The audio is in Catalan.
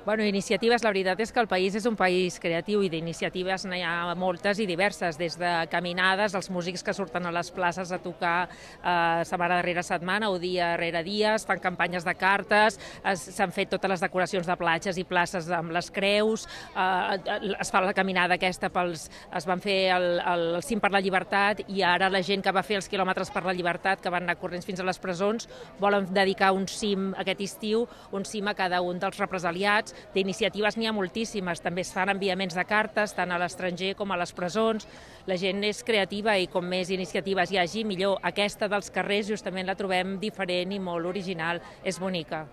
Bueno, iniciatives, la veritat és que el país és un país creatiu i d'iniciatives n'hi ha moltes i diverses, des de caminades, els músics que surten a les places a tocar setmana darrere setmana o dia rere dia, es fan campanyes de cartes, s'han fet totes les decoracions de platges i places amb les creus, es fa la caminada aquesta es van fer el cim per la llibertat i ara la gent que va fer els quilòmetres per la llibertat, que van anar corrents fins a les presons, volen dedicar un cim aquest estiu, un cim a cada un dels represaliats. D'iniciatives n'hi ha moltíssimes, també es fan enviaments de cartes tant a l'estranger com a les presons. La gent és creativa i com més iniciatives hi hagi, millor. Aquesta dels carrers justament la trobem diferent i molt original, és bonica.